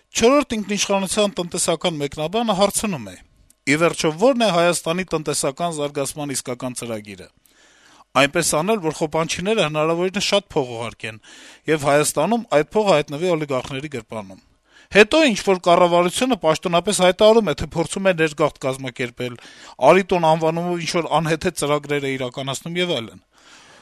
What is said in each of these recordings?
Չորրորդ ինքնիշխանության տնտեսական մեկնաբանը հարցնում է. - «Ի վերջո, ո՞րն է Հայաստանի տնտեսական զարգացման իսկական ծրագիրը: Այնպես անել, որ խոպանչիները հնարավորինս շատ փող ուղարկեն, եւ Հայաստանում այդ փողը հայտնվի օլիգարխների գրպանում: Հետո ինչ-որ կառավարությունը պաշտոնապես հայտարարում է, թե փորձում է ներգաղթ կազմակերպել, «Արի տուն» անվանումով ինչ-որ անհեթեթ ծրագրեր է իրականացնում եւ այլն: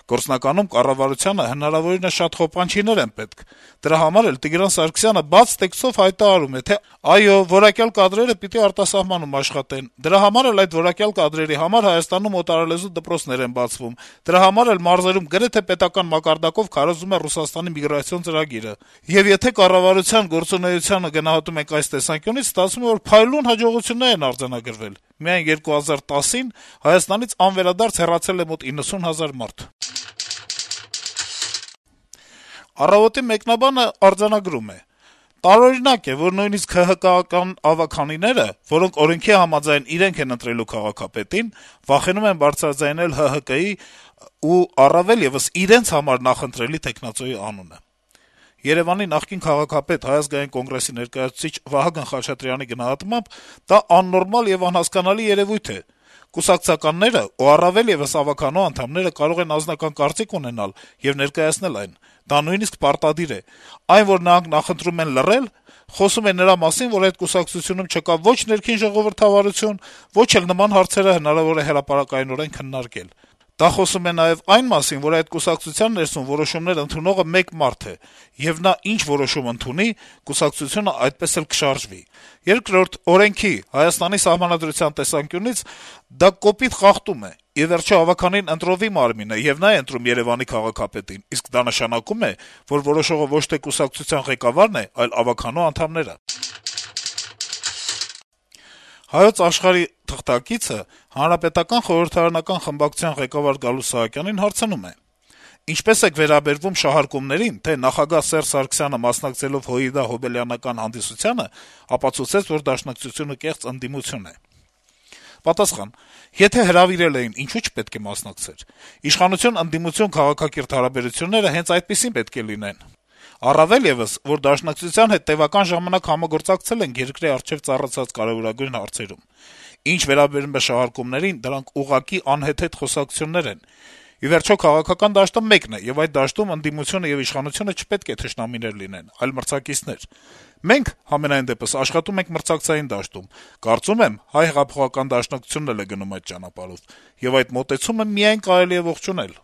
Գործնականում կառավարությանը հնարավորինս շատ խոպանչիներ են պետք: Դրա համար էլ Տիգրան Սարգսյանը բաց տեքստով հայտարարում է, թե այո, որակյալ կադրերը պիտի արտասահմանում աշխատեն, դրա համար էլ այդ որակյալ կադրերի համար Հայաստանում օտարալեզու դպրոցներ են բացվում, դրա համար էլ մարզերում գրեթե պետական մակարդակով քարոզվում է Ռուսաստանի միգրացիոն ծրագիրը: Եվ եթե կառավարության գործունեությանը գնահատում ենք այս տեսանկյունից, ստացվում է, որ փայլուն հաջողություններ են արձանագրվել: Միայն 2010-ին Հայաստանից անվերադարձ հեռացել է մոտ 90 հազար մարդ»: «Առավոտ»-ի մեկնաբանը արձանագրում է. - «Տարօրինակ է, որ նույնիսկ ՀՀԿ-ական ավագանիները, որոնք օրենքի համաձայն իրենք են ընտրելու քաղաքապետին, վախենում են բարձրաձայնել ՀՀԿ-ի ու առավել եւս իրենց համար նախընտրելի թեկնածուի անունը: Երեւանի նախկին քաղաքապետ, Հայ ազգային կոնգրեսի ներկայացուցիչ Վահագն Խաչատրյանի գնահատմամբ, դա աննորմալ եւ անհասկանալի երեւույթ է: Կուսակցականները ու առավել եւս ավագանո անդամները կարող են անձնական կարծիք ունենալ եւ ներկայացնել այն: Դա նույնիսկ պարտադիր է: Այն, որ նրանք նախընտրում են լռել, խոսում է նրա մասին, որ այդ կուսակցությունում չկա ոչ ներքին ժողովրդավարություն, ոչ էլ նման հարցերը հնարավոր է հրապարակայնորեն քննարկել: Դա խոսում է նաեւ այն մասին, որ այդ կուսակցության ներսում որոշումներ ընդունողը մեկ մարդ է, եւ նա ինչ որոշում ընդունի, կուսակցությունը այդպես էլ կշարժվի: Երկրորդ, օրենքի, Հայաստանի Սահմանադրության տեսանկյունից դա կոպիտ խախտում է: Ի վերջո, ավագանին ընտրովի մարմին է, եւ նա է ընտրում Երեւանի քաղաքապետին, իսկ դա նշանակում է, որ որոշողը ոչ թե կուսակցության ղեկավարն է, այլ ավագանո անդամները»: «Հայոց Աշխարհ»-ի թղթակիցը Հանրապետական խորհրդարանական խմբակցության ղեկավար Գալուստ Սահակյանին հարցնում է. - «Ինչպե՞ս եք վերաբերվում շահարկումներին, թե նախագահ Սերժ Սարգսյանը, մասնակցելով Հոիդա-Հոբելյանական հանդիսությանը, ապացուցեց, որ Դաշնակցությունը կեղծ ընդդիմություն է»: Պատասխան. - «Եթե հրավիրել էին, ինչո՞ւ չպետք է մասնակցեր: Իշխանություն-ընդդիմություն քաղաքակիրթ հարաբերությունները հենց այդպիսին պետք է լինեն: Առավել եւս, որ Դաշնակցության հետ տեւական ժամանակ համագործակցել ենք երկրի առջեւ ծառացած կարեւորագույն հարցերում: Ինչ վերաբերում է շահարկումներին, դրանք ուղղակի անհեթեթ խոսակցություններ են: Ի վերջո, քաղաքական դաշտը մեկն է, եւ այդ դաշտում ընդդիմությունը եւ իշխանությունը չպետք է թշնամիներ լինեն, այլ մրցակիցներ: Մենք, համենայն դեպս, աշխատում ենք մրցակցային դաշտում: Կարծում եմ, Հայ հեղափոխական դաշնակցությունն էլ է գնում այդ ճանապարհով: Եվ այդ մոտեցումը միայն կարելի է ողջունել»: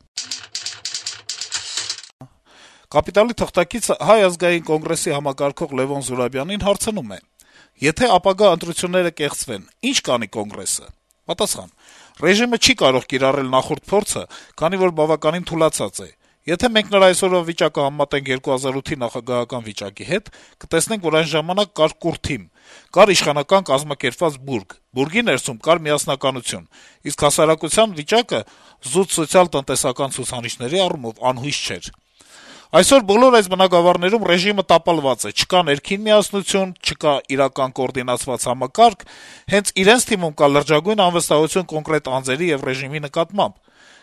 «Կապիտալ»-ի թղթակիցը Հայ ազգային կոնգրեսի համակարգող Լեւոն Զուրաբյանին հարցնում է. - «Եթե ապագա ընտրությունները կեղծվեն, ի՞նչ կանի Կոնգրեսը»: Պատասխան. - «Ռեժիմը չի կարող կիրառել նախորդ փորձը, քանի որ բավականին թուլացած է: Եթե մենք նրա այսօրվա վիճակը համեմատենք 2008-ի նախագահական վիճակի հետ, կտեսնենք, որ այն ժամանակ կար կուռ թիմ, կար իշխանական կազմակերպված բուրգ, բուրգի ներսում կար միասնականություն, իսկ հասարակության վիճակը զուտ սոցիալ-տնտեսական ցուցանիշների առումով անհույս չէր: Այսօր բոլոր այս բնագավառներում ռեժիմը տապալված է, չկա ներքին միասնություն, չկա իրական կոորդինացված համակարգ, հենց իրենց թիմում կա լրջագույն անվստահություն կոնկրետ անձերի եւ ռեժիմի նկատմամբ: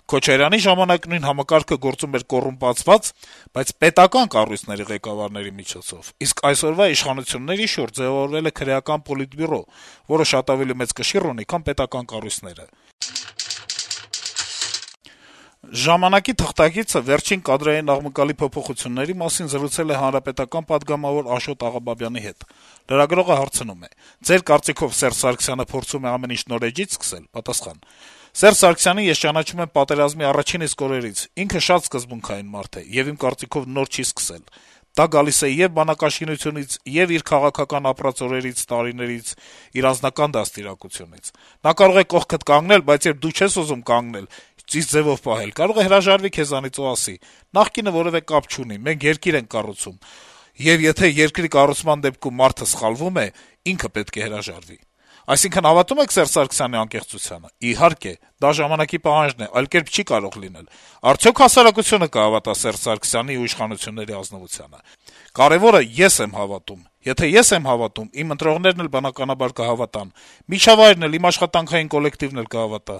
Քոչարյանի ժամանակ նույն համակարգը գործում էր կոռումպացված, բայց պետական կառույցների ղեկավարների միջոցով, իսկ այսօրվա իշխանությունների շուրջ ձեւավորվել է քրեական պոլիտբյուրո, որը շատ ավելի մեծ կշիռ ունի, քան պետական կառույցները»: «Ժամանակ»-ի թղթակիցը վերջին կադրային աղմկալի փոփոխությունների մասին զրուցել է Հանրապետական պատգամավոր Աշոտ Աղաբաբյանի հետ: Լրագրողը հարցնում է. - «Ձեր կարծիքով Սերժ Սարգսյանը փորձում է ամեն ինչ նոր էջից սկսել»: Պատասխան. - «Սերժ Սարգսյանին ես ճանաչում եմ պատերազմի առաջին իսկ օրերից: Ինքը շատ սկզբունքային մարդ է եւ իմ կարծիքով նոր չի սկսել: Դա գալիս է ե'ւ բանակաշինությունից, ե'ւ իր քաղաքական ապրած օրերից, տարիներից, իր անձնական դաստիարակությունից: Նա կարող է կողքդ կանգնել, բայց երբ դու չես ուզում կանգնել, ճիշտ ձեւով պահել, կարող է հրաժարվի քեզանից ու ասի. նախկինը որեւէ կապ չունի, մենք երկիր ենք կառուցում, եւ եթե երկրի կառուցման դեպքում մարդը սխալվում է, ինքը պետք է հրաժարվի: Այսինքն հավատո՞ւմ եք Սերժ Սարգսյանի անկեղծությանը: Իհարկե, դա ժամանակի պահանջն է, այլ կերպ չի կարող լինել: Արդյոք հասարակությո՞ւնը կհավատա Սերժ Սարգսյանի ու իշխանությունների ազնվությանը: Կարեւորը ես եմ հավատում: Եթե ես եմ հավատում, իմ ընտրողներն էլ բնականաբար կհավատան, միջավայրն էլ, իմ աշխատանքային կոլեկտիվն էլ կհավատա»: